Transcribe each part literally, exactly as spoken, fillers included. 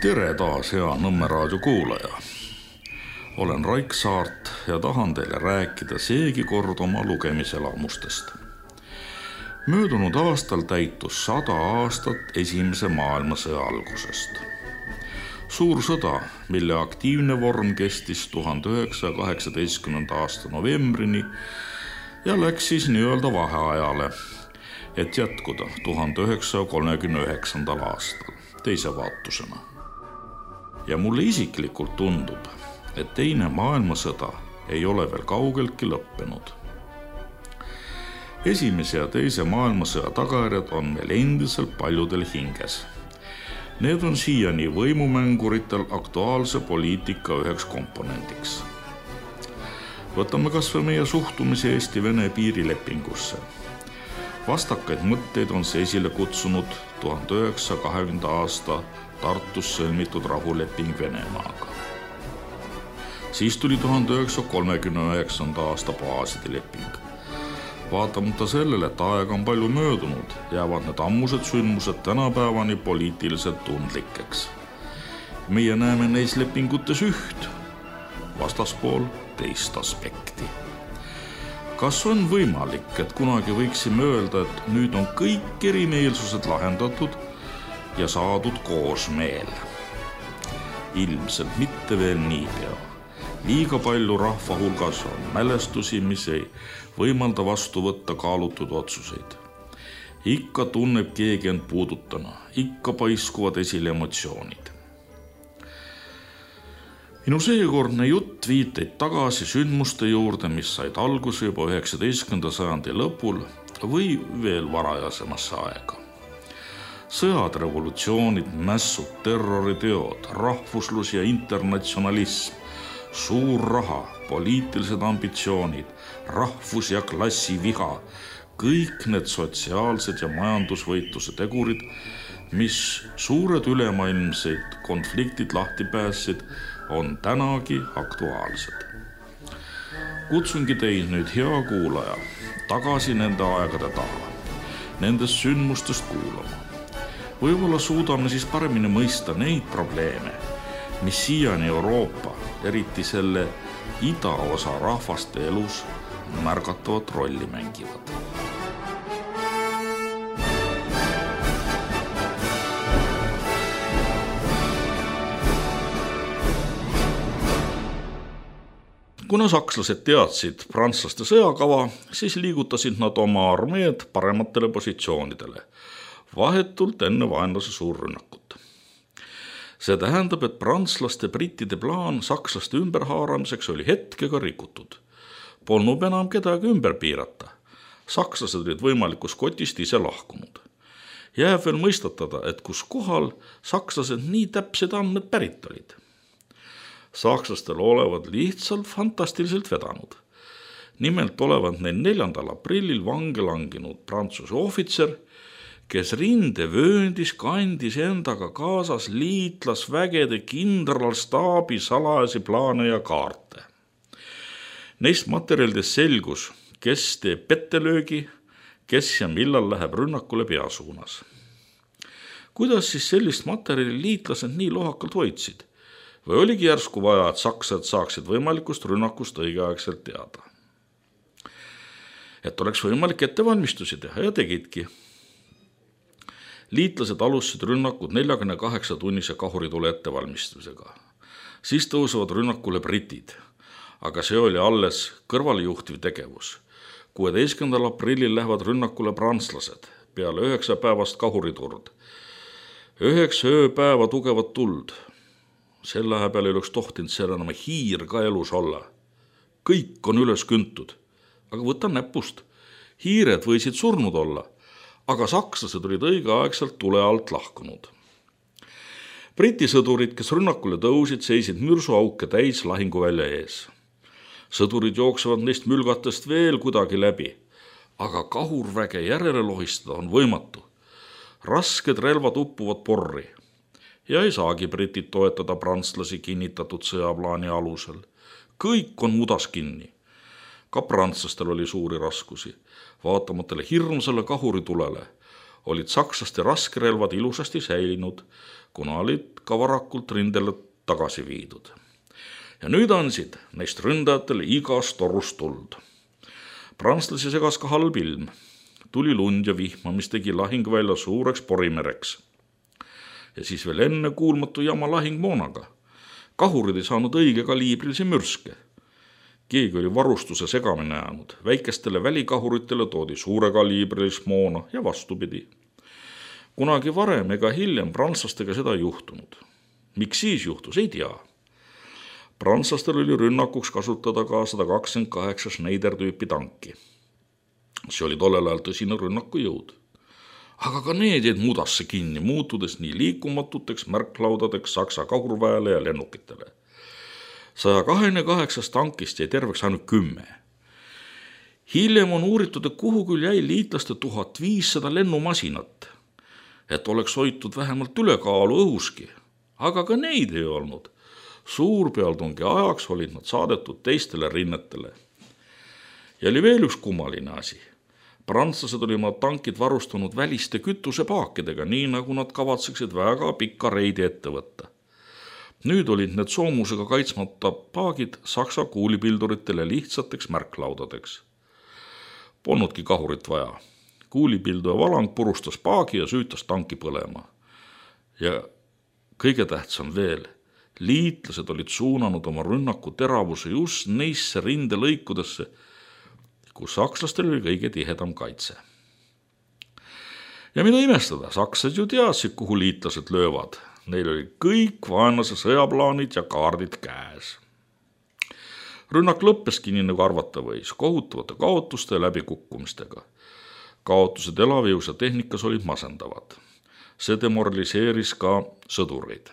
Tere taas, hea Nõmme raadio kuulaja. Olen Raik Saart ja tahan teile rääkida seegi kord oma lugemiselamustest. Möödunud aastal täitus sada aastat esimese maailmasõja algusest. Suur sõda, mille aktiivne vorm kestis tuhande üheksasaja kaheksateistkümnenda aasta novembrini ja läks siis nii-öelda vaheajale, et jätkuda tuhande üheksasaja kolmekümne üheksandal aastal teise vaatusena. Ja mulle isiklikult tundub, et teine maailmasõda ei ole veel kaugeltki lõppenud. Esimese ja teise maailmasõja tagajärjed on meil endiselt paljudel hinges. Need on siiani võimumänguritel aktuaalse poliitika üheks komponendiks. Võtame kas või meie suhtumise Eesti-Vene piirilepingusse. Vastakaid mõtteid on see esile kutsunud tuhande üheksasaja kahekümnenda aasta Tartus sõlmitud rahuleping Venemaaga. Siis tuli tuhande üheksasaja kolmekümne üheksanda aasta baaside leping. Vaatamata sellele, et aega on palju möödunud, jäävad need ammused sündmused tänapäevani poliitiliselt tundlikeks. Meie näeme neis lepingutes üht, vastaspool teist aspekti. Kas on võimalik, et kunagi võiksime öelda, et nüüd on kõik erimeelsused lahendatud ja saadud koosmeel? Ilmselt mitte veel niipea. Liiga palju rahva hulgas on mälestusi, mis ei võimalda vastu võtta kaalutud otsuseid. Ikka tunneb keegi end puudutana, ikka paiskuvad esile emotsioonid. Minu seekordne jutt viiteid tagasi sündmuste juurde, mis said alguse juba üheksateistkümnenda sajandi lõpul või veel varajasemasse aega. Sõjad, revolutsioonid, mässud, terroriteod, rahvuslus ja internatsionalism, suur raha, poliitilised ambitsioonid, rahvus- ja klassiviha, kõik need sotsiaalsed ja majandusvõitluse tegurid, mis suured ülemaailmseid konfliktid lahti päässid, on tänagi aktuaalsed. Kutsungi teid nüüd, hea kuulaja, tagasi nende aegade taha, nendest sündmustest kuulama. Võib-olla suudame siis paremini mõista neid probleeme, mis siiani Euroopa, eriti selle idaosa rahvaste elus märgatavat rolli mängivad. Kuna sakslased teadsid prantslaste sõjakava, siis liigutasid nad oma armeed parematele positsioonidele, vahetult enne vaenlase suurrünnakut. See tähendab, et prantslaste brittide plaan sakslaste ümberhaaramiseks oli hetkega rikutud. Polnud enam kedagi ümber piirata. Sakslased olid võimalikus kotist ise lahkunud. Jääb veel mõistatada, et kus kohal sakslased nii täpsed andmed pärit olid. Sakslastel olevat lihtsalt fantastiliselt vedanud. Nimelt olevat neil neljandal aprillil vange langinud prantsuse ohvitser, kes rindevööndis kandis endaga kaasas liitlasvägede kindralstaabi salajasi plaane ja kaarte. Neist materjalidest selgus, kes teeb pettelöögi, kes ja millal läheb rünnakule peasuunas. Kuidas siis sellist materjali liitlased nii lohakalt hoidsid? Või oligi järsku vaja, et sakslased saaksid võimalikust rünnakust õigeaegselt teada? Et oleks võimalik ettevalmistusi teha ja tegidki. Liitlased alustasid rünnakud neljakümne kaheksa tunnise kahuritule ettevalmistusega. Siis tõusevad rünnakule britid, aga see oli alles kõrvalejuhtiv tegevus. kuueteistkümnendal aprillil lähevad rünnakule prantslased peale üheksa päevast kahuriturd. Üheksa ööpäeva tugevat tuld. Selle aja peale ei oleks tohtinud seal enam hiir ka elus olla. Kõik on üles küntud, aga võta näpust. Hiired võisid surnud olla, aga sakslased olid õigeaegselt tule alt lahkunud. Briti sõdurid, kes rünnakule tõusid, seisid mürsuauke täis lahinguvälja ees. Sõdurid jooksevad neist mülgatest veel kuidagi läbi, aga kahurväge järele lohistada on võimatu. Rasked relvad uppuvad porri. Ja ei saagi britid toetada prantslasi kinnitatud sõjaplaani alusel. Kõik on mudas kinni. Ka prantslastel oli suuri raskusi. Vaatamatele hirmsale kahuritulele olid sakslaste raskerelvad ilusasti säilinud, kuna olid ka varakult rindele tagasi viidud. Ja nüüd andsid neist ründajatele igast torust tuld. Prantslasi segas ka halb ilm. Tuli lund ja vihma, mis tegi lahingvälja suureks porimereks. Ja siis veel enne kuulmatu jama lahingmoonaga. Kahurid ei saanud õige kaliibrilisi mürske. Keegi oli varustuse segamine jäänud. Väikestele välikahuritele toodi suure kaliibrilist moona ja vastupidi. Kunagi varem ega hiljem prantslastega seda ei juhtunud. Miks siis juhtus, ei tea. Prantslastel oli rünnakuks kasutada ka sada kakskümmend kaheksa Schneider-tüüpi tanki. See oli tollel ajal tõsine rünnaku jõud. Aga ka need jäid mudasse kinni, muutudes nii liikumatuteks märklaudadeks Saksa kahurväele ja lennukitele. saja kahekümne kaheksast tankist jäi terveks ainult kümme. Hiljem on uuritud, et kuhu küll jäi liitlaste tuhat viissada lennumasinat, et oleks hoitud vähemalt ülekaalu õhuski, aga ka neid ei olnud. Suurpealtungi ajaks olid nad saadetud teistele rinnetele. Ja oli veel üks kummaline asi. Prantslased olid oma tankid varustanud väliste kütusepaakidega, nii nagu nad kavatseksid väga pikka reidi ette võtta. Nüüd olid need soomusega kaitsmata paagid Saksa kuulipilduritele lihtsateks märklaudadeks. Polnudki kahurit vaja. Kuulipilduja valang purustas paagi ja süütas tanki põlema. Ja kõige tähtsam veel, liitlased olid suunanud oma rünnaku teravuse just neisse rindelõikudesse, kus sakslastel oli kõige tihedam kaitse. Ja mida imestada, sakslased ju teadsid, kuhu liitlased löövad. Neil oli kõik vaenlase sõjaplaanid ja kaardid käes. Rünnak lõppeski nii nagu arvata võis, kohutavate kaotuste ja läbikukkumistega. Kaotused elavjõus ja tehnikas olid masendavad. See demoraliseeris ka sõdureid.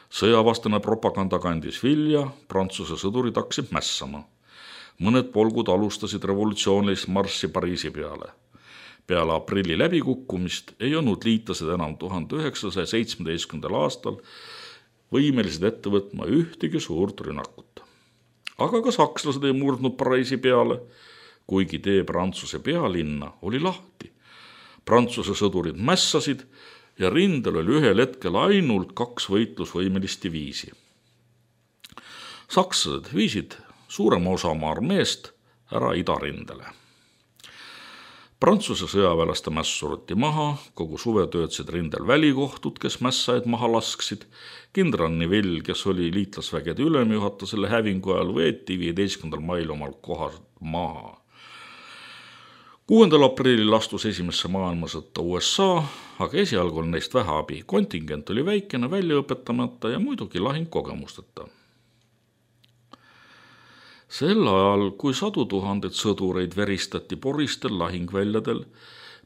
Sõjavastane propaganda kandis vilja, Prantsuse sõdurid hakkasid mässama. Mõned polgud alustasid revolutsioonilist marssi Pariisi peale. Peale aprilli läbikukkumist ei olnud liitlased enam tuhande üheksasaja seitsmeteistkümnendal aastal võimelised ette võtma ühtegi suurt rünnakut. Aga ka sakslased ei murdnud Pariisi peale, kuigi tee Prantsuse pealinna oli lahti. Prantsuse sõdurid mässasid ja rindel oli ühel hetkel ainult kaks võitlusvõimelist diviisi. Sakslased viisid suurema osa oma armeest ära idarindele. Prantsuse sõjaväelaste mäss suruti maha, kogu suve töötasid rindel välikohtud, kes mässaid maha lasksid. Kindral Nivelle, kes oli liitlasvägede ülemjuhataja selle hävingu ajal, võeti viieteistkümnendal mail omal kohas maha. kuuendal aprillil astus esimesse maailmasõtta U S A, aga esialgu oli neist vähe abi. Kontingent oli väikene, välja õpetamata ja muidugi lahingkogemusteta. Sel ajal, kui sadu tuhandet sõdureid veristati poristel lahingväljadel,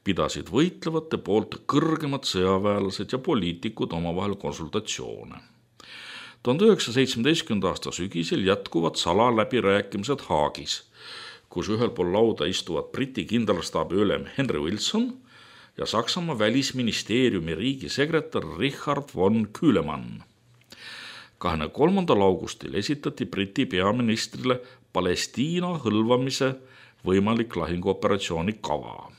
pidasid võitlevate poolt kõrgemad sõjaväelased ja poliitikud omavahel konsultatsioone. tuhande üheksasaja seitsmeteistkümnenda aasta sügisel jätkuvad salaläbirääkimised Haagis, kus ühel pool lauda istuvad Briti kindralstaabi ülem Henry Wilson ja Saksamaa välisministeeriumi riigisekretär Richard von Kühlemann. kahekümne kolmandal augustil esitati Briti peaministrile Palestiina hõlvamise võimalik lahinguoperatsiooni kava.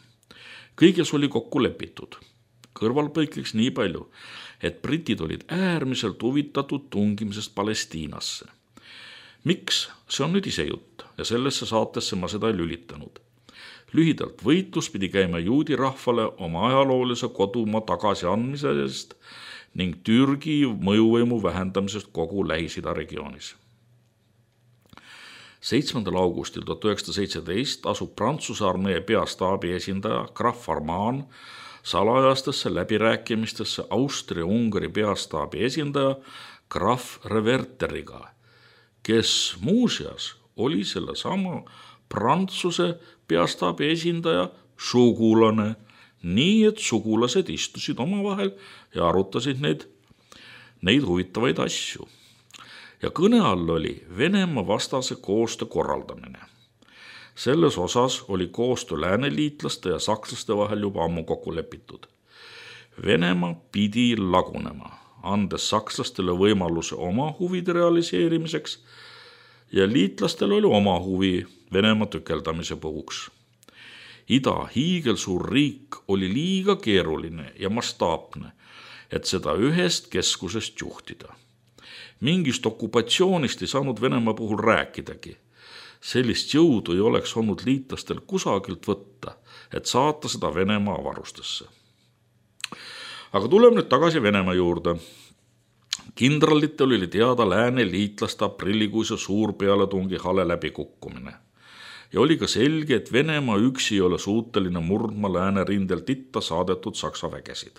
Kõiges oli kokku lepitud. Kõrvalpõikliks nii palju, et britid olid äärmiselt huvitatud tungimisest Palestiinasse. Miks? See on nüüd ise jutt ja sellesse saatesse ma seda ei lülitanud. Lühidalt võitlus pidi käima juudi rahvale oma ajaloolise kodumaa tagasiandmisest ning Türgi mõjuvõimu vähendamisest kogu Lähis-Ida regioonis. seitsmendal augustil tuhat üheksasada seitseteist asub Prantsuse armee peastaabi esindaja Graf Arman salajastesse läbirääkimistesse Austria-Ungari peastaabi esindaja Graf Reverteriga, kes muuseas oli selle sama Prantsuse peastaabi esindaja sugulane, nii et sugulased istusid omavahel ja arutasid neid, neid huvitavaid asju. Ja kõne all oli Venemaa vastase koostöö korraldamine. Selles osas oli koostöö lääneliitlaste ja sakslaste vahel juba ammu kokku lepitud. Venemaa pidi lagunema, andes sakslastele võimaluse oma huvide realiseerimiseks ja liitlastel oli oma huvi Venemaa tükeldamise puhuks. Ida hiigelsuur riik oli liiga keeruline ja mastaapne, et seda ühest keskusest juhtida. Mingist okupatsioonist ei saanud Venemaa puhul rääkidagi. Sellist jõudu ei oleks olnud liitlastel kusagilt võtta, et saata seda Venemaa avarustesse. Aga tuleme nüüd tagasi Venemaa juurde. Kindralitel oli teada lääne liitlaste aprillikuise suurpealetungi hale läbikukkumine. Ja oli ka selge, et Venemaa üksi ei ole suuteline murdma lääne rindelt itta saadetud Saksa vägesid.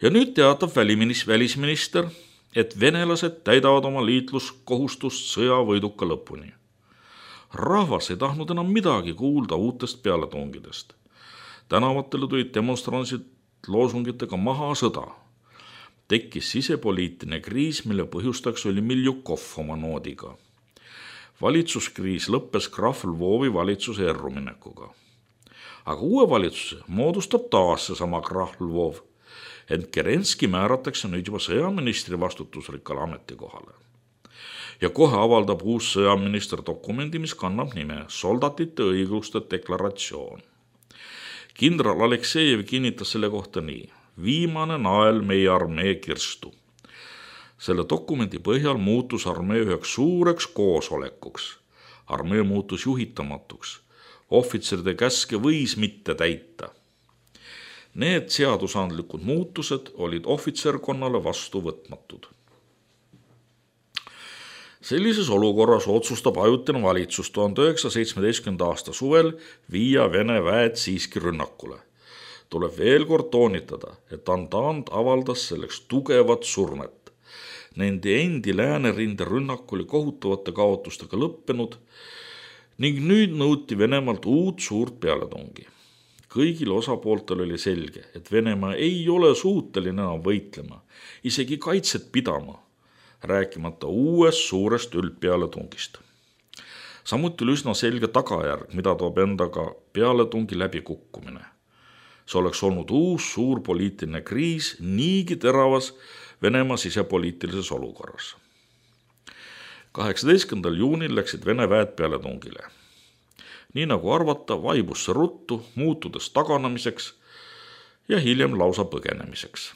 Ja nüüd teatab välisminister, et venelased täidavad oma liitluskohustust sõjavõiduka lõpuni. Rahvas ei tahtnud enam midagi kuulda uutest pealetungidest. Tänavatele tulid demonstrantsid loosungitega maha sõda. Tekkis sisepoliitiline kriis, mille põhjustaks oli Miljukov oma noodiga. Valitsuskriis lõppes Krahv Lvovi valitsuse erruminekuga. Aga uue valitsuse moodustab taas seesama Krahv Lvov, ent Kerenski määratakse nüüd juba sõjaministri vastutusrikkale ametikohale. Ja kohe avaldab uus sõjaminister dokumendi, mis kannab nime Soldatite õiguste deklaratsioon. Kindral Aleksejev kinnitas selle kohta nii: viimane nael meie armee kirstu. Selle dokumendi põhjal muutus armee üheks suureks koosolekuks. Armee muutus juhitamatuks. Ohvitseride käske võis mitte täita. Need seadusandlikud muutused olid ohvitserkonnale vastuvõtmatud. Sellises olukorras otsustab ajutine valitsus tuhande üheksasaja seitsmeteistkümnenda aasta suvel viia Vene väed siiski rünnakule. Tuleb veel kord toonitada, et Antant avaldas selleks tugevat surmet. Nende endi läänerinde rünnak oli kohutavate kaotustega lõppenud ning nüüd nõuti Venemaalt uut suurt pealetungi. Kõigil osapooltel oli selge, et Venemaa ei ole suuteline enam võitlema, isegi kaitset pidama, rääkimata uuest suurest üldpealetungist. Samuti oli üsna selge tagajärg, mida toob endaga pealetungi läbikukkumine. See oleks olnud uus suur poliitiline kriis niigi teravas Venemaa sisepoliitilises olukorras. kaheksateistkümnendal juunil läksid Vene väed pealetungile. Nii nagu arvata, vaibus see ruttu, muutudes taganamiseks ja hiljem lausa põgenemiseks.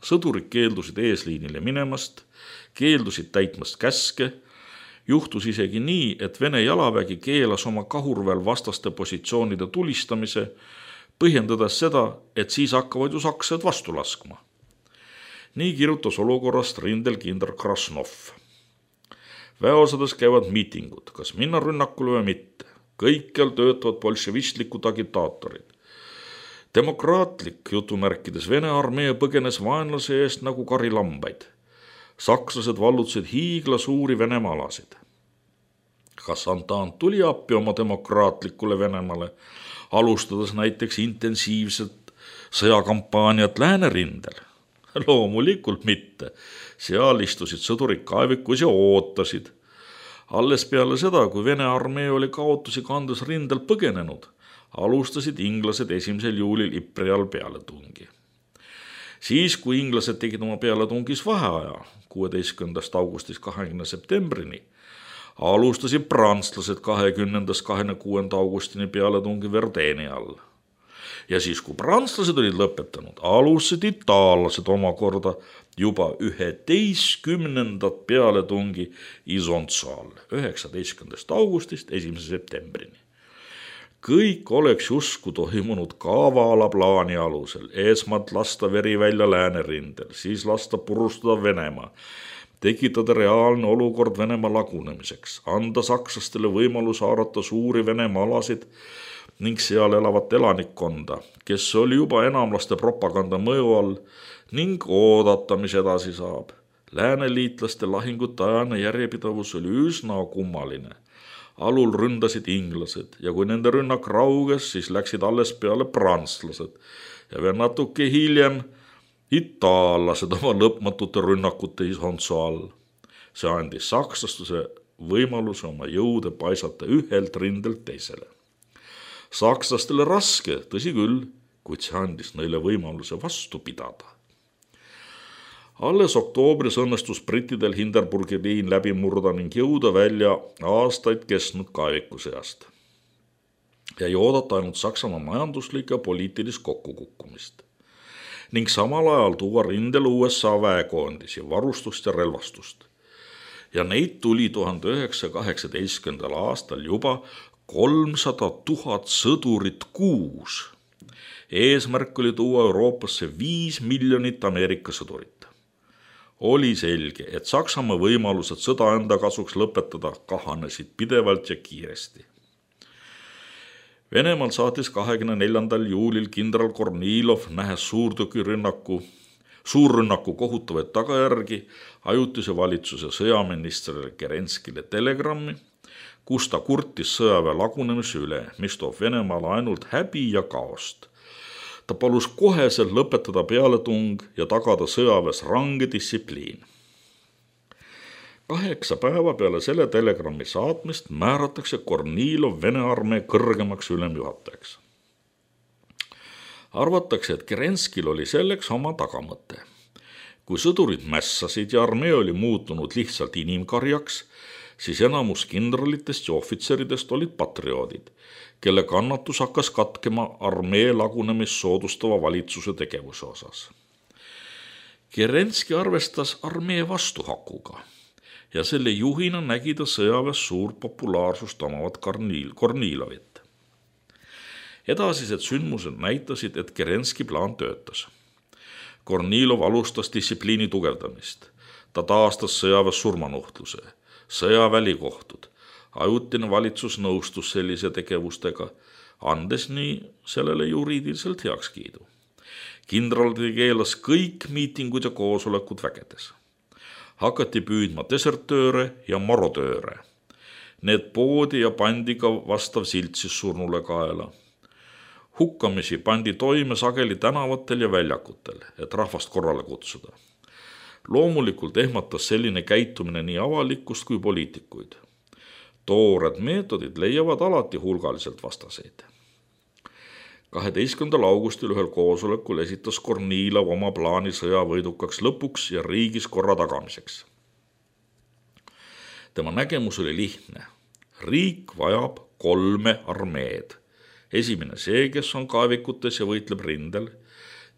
Sõdurid keeldusid eesliinile minemast, keeldusid täitmast käske, juhtus isegi nii, et Vene jalavägi keelas oma kahurväel vastaste positsioonide tulistamise, põhjendades seda, et siis hakkavad ju sakslased vastu laskma. Nii kirjutas olukorrast rindel kindral Krasnov. Väeosades käivad miitingud, kas minna rünnakule või mitte. Kõikjal töötavad bolševistlikud agitaatorid. Demokraatlik jutumärkides Vene armee põgenes vaenlase eest nagu karilambaid. Sakslased vallutasid hiigla suuri Venemaa alasid. Kas Antant tuli appi oma demokraatlikule Venemaale, alustades näiteks intensiivset sõjakampaaniat läänerindel? Loomulikult mitte. Seal istusid sõdurid kaevikus ja ootasid. Alles peale seda, kui Vene armee oli kaotusi kandes rindel põgenenud, alustasid inglased esimesel juulil Ypri all pealetungi. Siis, kui inglased tegid oma pealetungis vaheaja kuueteistkümnendast augustist kahekümnenda septembrini, alustasid prantslased kahekümnendast kahekümne kuuenda augustini pealetungi Verdeeni all. Ja siis, kui prantslased olid lõpetanud, alustasid itaallased omakorda juba üheteistkümnendat pealetungi Isonzo all, üheksateistkümnendast augustist esimese septembrini. Kõik oleks justkui toimunud kavala plaani alusel, esmalt lasta veri välja läänerindel, siis lasta purustada Venemaa, tekitada reaalne olukord Venemaa lagunemiseks, anda sakslastele võimalus haarata suuri Venemaa alasid ning seal elavat elanikkonda, kes oli juba enamlaste propaganda mõju all, ning oodata, mis edasi saab. Lääneliitlaste lahingute ajane järjepidavus oli üsna kummaline. Alul ründasid inglased ja kui nende rünnak rauges, siis läksid alles peale prantslased ja veel natuke hiljem itaallased oma lõpmatute rünnakute Isonzo all. See andis sakslastuse võimaluse oma jõude paisata ühelt rindelt teisele. Sakslastele raske, tõsi küll, kuid see andis neile võimaluse vastu pidada. Alles oktoobris õnnestus brittidel Hindenburgi liin läbi murda ning jõuda välja aastaid kestnud kaeviku seast. ja ei oodata ainult Saksamaa majanduslik ja poliitilist kokkukukkumist. Ning samal ajal tuua rindele U S A väekoondisi, varustust ja relvastust. Ja neid tuli tuhande üheksasaja kaheksateistkümnendal aastal juba kolmsada tuhat sõdurit kuus. Eesmärk oli tuua Euroopasse viis miljonit Ameerika sõdurit. Oli selge, et Saksamaa võimalused sõda enda kasuks lõpetada kahanesid pidevalt ja kiiresti. Venemaal saatis kahekümne neljandal juulil kindral Kornilov, nähes suurtükirünnaku, suurrünnaku kohutavaid tagajärgi, ajutise valitsuse sõjaministrile Kerenskile telegrammi, kus ta kurtis sõjaväe lagunemise üle, mis toob Venemaale ainult häbi ja kaost. Ta palus koheselt lõpetada pealetung ja tagada sõjaväes range distsipliin. Kaheksa päeva peale selle telegrammi saatmist määratakse Kornilov Vene armee kõrgemaks ülemjuhatajaks. Arvatakse, et Kerenskil oli selleks oma tagamõte. Kui sõdurid mässasid ja armee oli muutunud lihtsalt inimkarjaks, siis enamus kindralitest ja ohvitseridest olid patrioodid, kelle kannatus hakkas katkema armee lagunemist soodustava valitsuse tegevuse osas. Kerenski arvestas armee vastuhakuga ja selle juhina nägi ta sõjaväes suurt populaarsust omavat Kornilovit. Edasised sündmused näitasid, et Kerenski plaan töötas. Kornilov alustas distsipliini tugevdamist. Ta taastas sõjaväes surmanuhtluse, sõjavälikohtud. Ajutine valitsus nõustus sellise tegevustega, andes nii sellele juriidiliselt heakskiidu. Kindral keelas kõik miitingud ja koosolekud vägedes. Hakati püüdma desertööre ja marodööre. Need poodi ja pandi ka vastav silt siis surnule kaela. Hukkamisi pandi toime sageli tänavatel ja väljakutel, et rahvast korrale kutsuda. Loomulikult ehmatas selline käitumine nii avalikkust kui poliitikuid. Toored meetodid leiavad alati hulgaliselt vastaseid. kaheteistkümnendal augustil ühel koosolekul esitas Kornilov oma plaani sõjavõidukaks lõpuks ja riigis korra tagamiseks. Tema nägemus oli lihtne. Riik vajab kolme armeed. Esimene see, kes on kaevikutes ja võitleb rindel.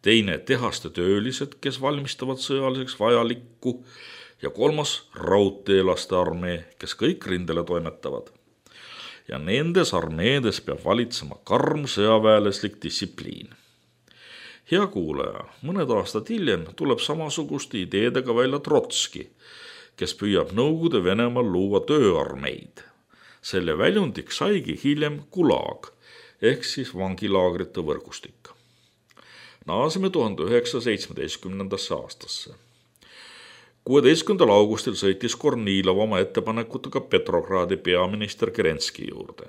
Teine tehaste töölised, kes valmistavad sõjaliseks vajalikku. Ja kolmas raudteelaste armee, kes kõik rindele toimetavad. Ja nendes armeedes peab valitsema karm sõjaväeleslik distsipliin. Hea kuulaja, mõned aastad hiljem tuleb samasuguste ideedega välja Trotski, kes püüab Nõukogude Venemaal luua tööarmeid. Selle väljundiks saigi hiljem Gulag, ehk siis vangilaagrite võrgustik. Naaseme tuhande üheksasaja seitsmeteistkümnendasse aastasse. kuueteistkümnendal augustil sõitis Kornilov oma ettepanekutega Petrogradi peaminister Kerenski juurde.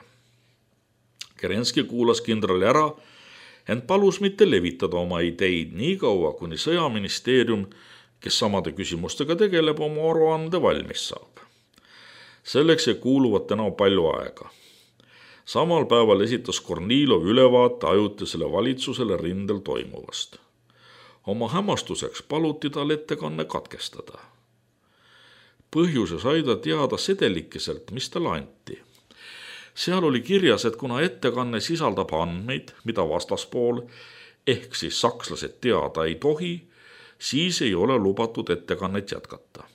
Kerenski kuulas kindrali ära, ent palus mitte levitada oma ideid nii kaua, kuni sõjaministeerium, kes samade küsimustega tegeleb, oma aruande valmis saab. Selleks ei kuuluvat täna palju aega. Samal päeval esitas Kornilov ülevaate ajutisele valitsusele rindel toimuvast. Oma hämmastuseks paluti tal ettekanne katkestada. Põhjuse sai ta teada sedelikeselt, mis talle anti. Seal oli kirjas, et kuna ettekanne sisaldab andmeid, mida vastaspool, ehk siis sakslased teada ei tohi, siis ei ole lubatud ettekannet jätkata.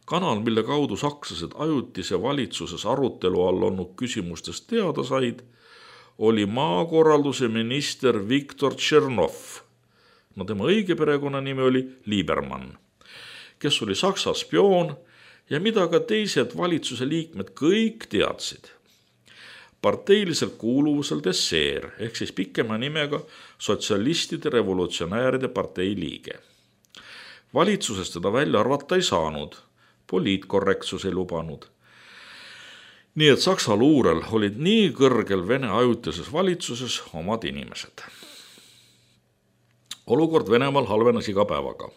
Kanal, mille kaudu sakslased ajutise valitsuses arutelu all olnud küsimustest teada said, oli maakorralduse minister Viktor Tšernov. No tema õige perekonnanimi oli Liebermann, kes oli Saksa spioon ja mida ka teised valitsuse liikmed kõik teadsid. Parteiliselt kuuluvuselt esseer, ehk siis pikema nimega sotsialistide revolutsionääride partei liige. Valitsusest teda välja arvata ei saanud, poliitkorrektsus ei lubanud. Nii et Saksa luurel olid nii kõrgel Vene ajutises valitsuses omad inimesed. Olukord Venemaal halvenes iga päevaga.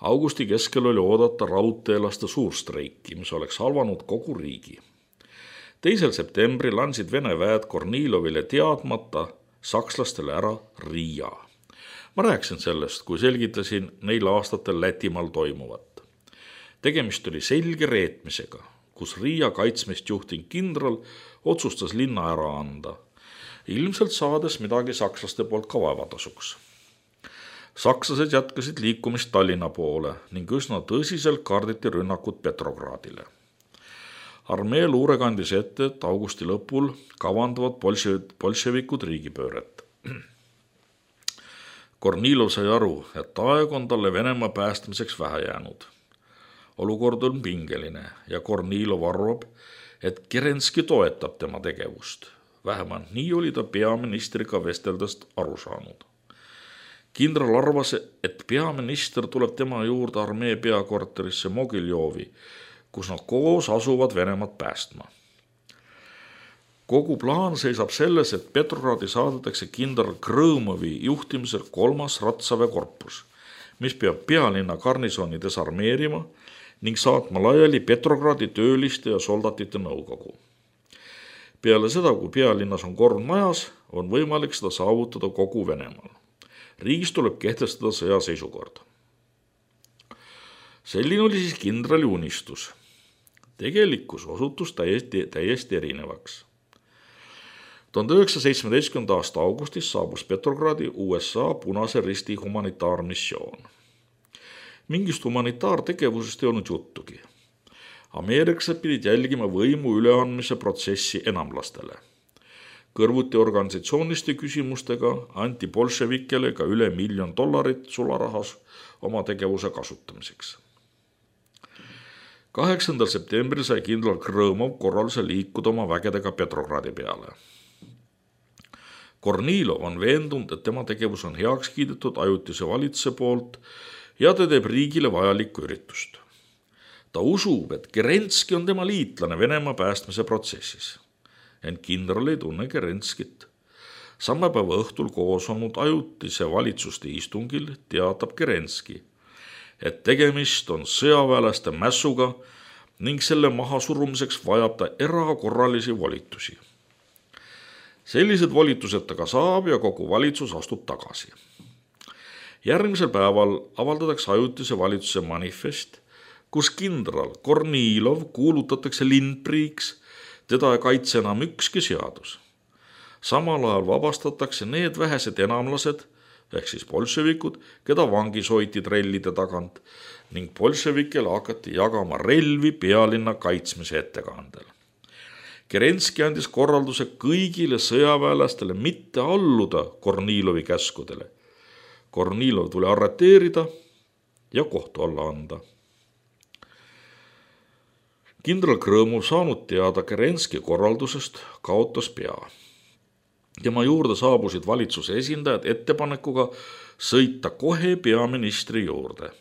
Augusti keskel oli oodata raudteelaste suurstreiki, mis oleks halvanud kogu riigi. Teisel septembril andsid Vene väed Kornilovile teadmata sakslastele ära Riia. Ma rääkisin sellest, kui selgitasin neil aastatel Lätimaal toimuvat. Tegemist oli selge reetmisega, kus Riia kaitsmist juhtinud kindral otsustas linna ära anda, ilmselt saades midagi sakslaste poolt ka vaevatasuks. Sakslased jätkasid liikumist Tallinna poole ning üsna tõsiselt karditi rünnakut Petrogradile. Armee luure kandis ette, et augusti lõpul kavandavad bolševikud riigipööret. Kornilov sai aru, et aeg on talle Venemaa päästmiseks vähe jäänud. Olukord on pingeline ja Kornilov arvab, et Kerenski toetab tema tegevust. Vähemalt nii oli ta peaministriga vesteldest aru saanud. Kindral arvas, et peaminister tuleb tema juurde armee peakorterisse Mogiljovi, kus nad koos asuvad Venemaad päästma. Kogu plaan seisab selles, et Petrogradi saadetakse kindral Krõmovi juhtimisel kolmas Ratsaväe korpus, mis peab pealinna garnisoni desarmeerima ning saatma laiali Petrogradi tööliste ja soldatite nõukogu. Peale seda, kui pealinnas on kord majas, on võimalik seda saavutada kogu Venemaal. Riigis tuleb kehtestada sõjaseisukord. Selline oli siis kindrali unistus. Tegelikkus osutus täiesti, täiesti erinevaks. tuhande üheksasaja seitsmeteistkümnenda aasta augustis saabus Petrogradi U S A Punase Risti humanitaarmissioon. Mingist humanitaartegevusest ei olnud juttugi. Ameeriklased pidid jälgima võimu üleandmise protsessi enamlastele. Kõrvuti organisatsiooniste küsimustega anti bolševikele ka üle miljon dollarit sularahas oma tegevuse kasutamiseks. kaheksandal septembril sai kindral Krõmov korralduse liikuda oma vägedega Petrogradi peale. Kornilov on veendunud, et tema tegevus on heaks kiidetud ajutise valitsuse poolt ja ta teeb riigile vajalikku üritust. Ta usub, et Kerenski on tema liitlane Venemaa päästmise protsessis. Ent kindral ei tunne Kerenskit. Samme päeva õhtul koos olnud ajutise valitsuste istungil teatab Kerenski, et tegemist on sõjaväelaste mässuga ning selle mahasurumiseks vajab ta erakorralisi volitusi. Sellised volitused ta ka saab ja kogu valitsus astub tagasi. Järgmisel päeval avaldatakse ajutise valitsuse manifest, kus kindral Kornilov kuulutatakse lindpriiks, teda ei kaitse enam ükski seadus. Samal ajal vabastatakse need vähesed enamlased, ehk siis bolševikud, keda vangis hoiti trellide tagant ning bolševikele hakati jagama relvi pealinna kaitsmise ettekandel. Kerenski andis korralduse kõigile sõjaväelastele mitte alluda Kornilovi käskudele. Kornilov tuli arreteerida ja kohtu alla anda. Kindral Krõmov saanud teada Kerenski korraldusest kaotas pea. Tema juurde saabusid valitsuse esindajad ettepanekuga sõita kohe peaministri juurde.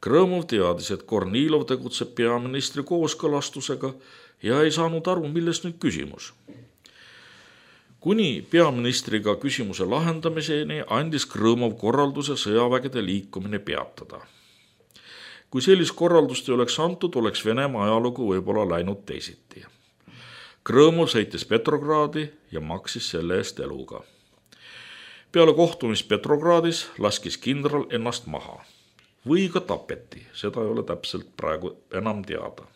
Krõmov teadis, et Kornilov tegutseb peaministri kooskõlastusega ja ei saanud aru, milles nüüd küsimus. Kuni peaministriga küsimuse lahendamiseni andis Krõmov korralduse sõjavägede liikumine peatada. Kui sellist korraldust ei oleks antud, oleks Venemaa ajalugu võib-olla läinud teisiti. Krõmov sõitis Petrogradi ja maksis selle eest eluga. Peale kohtumist Petrogradis laskis kindral ennast maha. Või ka tapeti, seda ei ole täpselt praegu enam teada.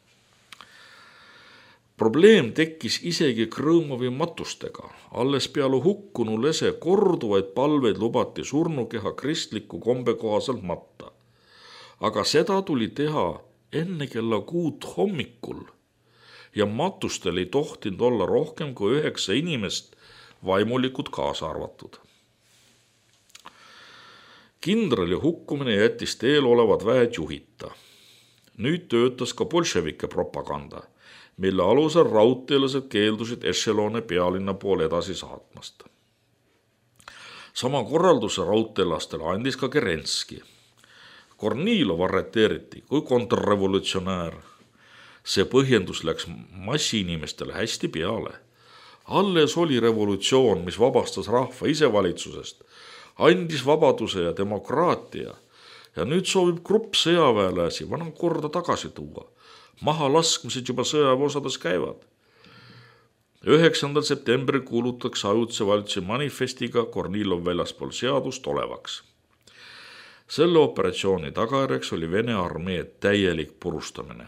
Probleem tekkis isegi Krõmovi matustega. Alles peale hukkunu lese korduvaid palveid lubati surnukeha kristliku kombe kohaselt matta. Aga seda tuli teha enne kella kuut hommikul ja matustel ei tohtinud olla rohkem kui üheksa inimest, vaimulikud kaasa arvatud. Kindrali hukkumine jättis teel olevad väed juhita. Nüüd töötas ka bolševike propaganda, mille alusel raudteelased keeldusid ešelone pealinna poole edasi saatmast. Sama korralduse raudteelastele andis ka Kerenski. Kornilov arreteeriti kui kontrrevolutsionäär. See põhjendus läks massiinimestele hästi peale. Alles oli revolutsioon, mis vabastas rahva isevalitsusest, andis vabaduse ja demokraatia ja nüüd soovib grupp sõjaväelasi vana korda tagasi tuua. Maha laskmised juba sõjaväeosades käivad. üheksandal septembril kuulutatakse ajutise valitsuse manifestiga Kornilov väljaspool seadust olevaks. Selle operatsiooni tagajärjeks oli Vene armee täielik purustamine.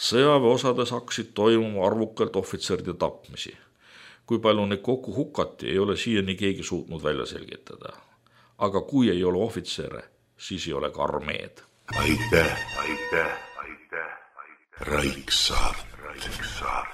Sõjaväeosades hakkasid toimuma arvukalt ohvitseride tapmisi. Kui palju neid kokku hukati, ei ole siiani keegi suutnud välja selgitada. Aga kui ei ole ohvitsere, siis ei ole ka armeed. Aitäh, aitäh, aitäh, aitäh. Raiksaar, Raiksaar.